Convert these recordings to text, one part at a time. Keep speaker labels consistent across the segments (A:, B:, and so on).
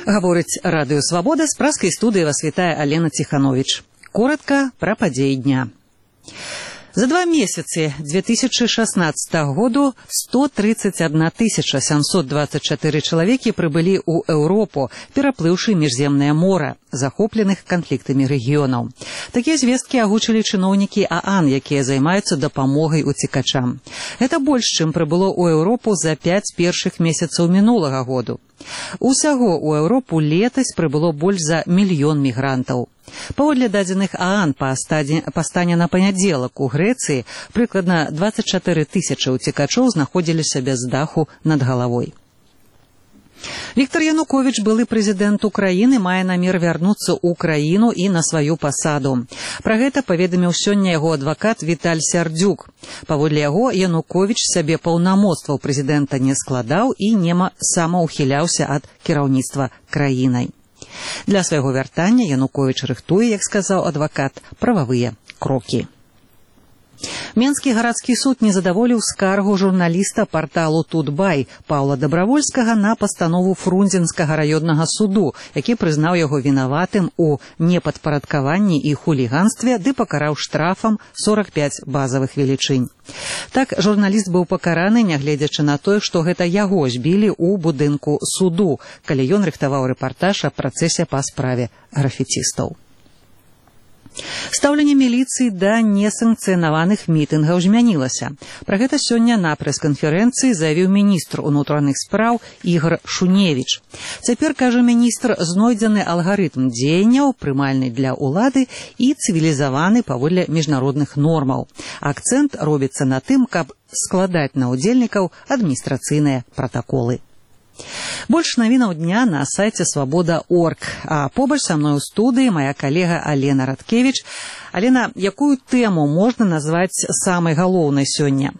A: Гаворыць радыё «Свабода», з праскай студыі вас вітае Алена Ціхановіч. Коротка пра падзеі дня. За 2 месяцы 2016 году 131 724 чалавекі прыбылі ў Еўропу, пераплыўшы міжземнае мора, захопленых канфліктамі рэгіёнаў. Такія звесткі агучылі чыноўнікі ААН, якія займаюцца дапамогай уцекачам. Гэта больш, чым прыбыло ў Еўропу за 5 першых месяцаў мінулага году. Усяго ў Еўропу летась прыбыло больш за 1 мільён мігрантаў. Паводле дадзеных ААН па стане на панядзелак у Грэцыі прыкладна 24 000 уцекачоў знаходзіліся без даху над галавой. Віктор Януковіч, былы прэзідэнт Украіны, мае намер вярнуцца ў краіну і на сваю пасаду. Пра гэта паведаміў сёння яго адвакат Віталь Сярдзюк. Паводле яго, Януковіч сабе паўнамоцтваў прэзідэнта не складаў і нема самаўхіляўся ад кіраўніцтва краінай. Для свайго вяртання Януковіч рыхтуе, як сказаў адвакат, прававыя крокі. Менскі гарадскі суд не задаволіў скаргу журналіста парталу «Тутбай» Паўла Дабравольскага на пастанову Фрунзенскага раённага суду, які прызнаў яго вінаватым у непадпарадкаванні і хуліганстве ды пакараў штрафам 45 базавых велічынь. Так, журналіст быў пакараны, нягледзячы на тое, што гэта яго збілі ў будынку суду, калі ён рыхтаваў рэпартаж аб працэсе па справе графіцістаў. Стаўленне міліцыі да несанкцыянаваных мітынгаў змянілася. Пра гэта сёння на прэс-канферэнцыі заявіў міністр унутраных спраў Ігор Шуневіч. Цяпер, кажа міністр, знойдзены алгарытм дзеянняў, прымальны для ўлады і цывілізаваны паводле міжнародных нормаў. Акцэнт робіцца на тым, каб складаць на ўдзельнікаў адміністрацыйныя пратаколы. Больш навінаў дня на сайце «Свабода.орг», а побач са мной у студыі моя калега Алена Радкевіч. Алена, якую тэму можна назваць самай галоўнай сёння?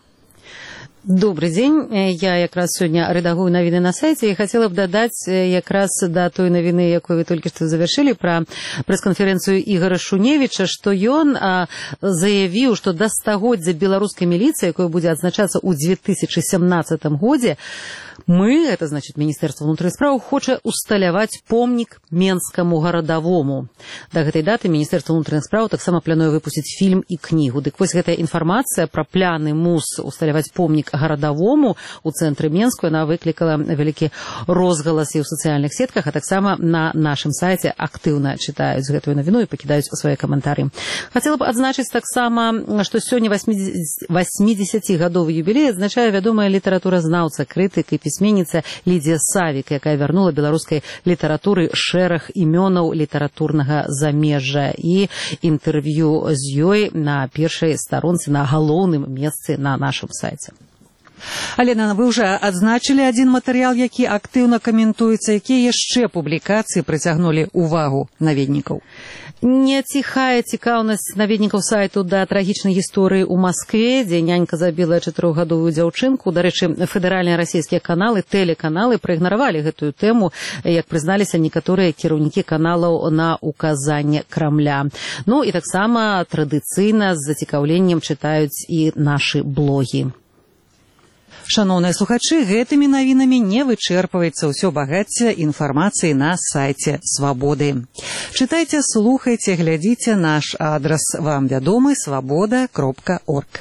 B: Добрый день. Я якраз сёння рэдагую навіны на сайце і хацела б дадаць якраз да той навіны, якую вы толькі што завяршылі, пра прэс-канферэнцыю Ігора Шуневіча, што ён заявіў, што да стагоддзя беларускай міліцыі, якое будзе адзначацца ў 2017 годзе, мы, это значит Міністэрства ўнутраных спраў, хоча усталяваць помнік менскаму гарадавому. Да гэтай даты Міністэрства ўнутраных спраў таксама плануе выпусціць фільм і кнігу. Дык вось гэтая інфармацыя пра пляны МУС усталяваць помнік гарадавому ў цэнтры Менску, яна выклікала вялікі розгалас і ў сацыяльных сетках, а таксама на нашым сайце актыўна чытаюць гэтую навіну і пакідаюць свае каментары. Хацела б адзначыць таксама, што сёння 80-гадовы юбілей адзначае вядомая літаратуразнаўца, крытык і пісьменніца Лідзія Савік, якая вярнула беларускай літаратуры шэраг імёнаў літаратурнага замежжа, і інтэрв'ю з ёй на першай старонцы, на галоўным месцы на нашым сайце.
A: Алена, вы ўжо адзначылі адзін матэрыял, які актыўна каментуецца. Якія яшчэ публікацыі прыцягнулі ўвагу наведнікаў?
B: Не ціхае цікаўнасць наведнікаў сайту да трагічнай гісторыі ў Маскве, дзе нянька забіла 4-гадовую дзяўчынку. Дарэчы, федэральныя расійскія каналы, тэлеканалы праігнаравалі гэтую тэму, як прызналіся некаторыя кіраўнікі каналаў на указанне Крамля. Ну і таксама традыцыйна з зацікаўленнем чытаюць і нашы блогі.
A: Шаноўныя слухачы, гэтымі навінамі не вычэрпваецца ўсё багацце інфармацыі на сайце «Свабоды». Чытайце, слухайце, глядзіце, наш адрас вам вядомы – свабода.орг.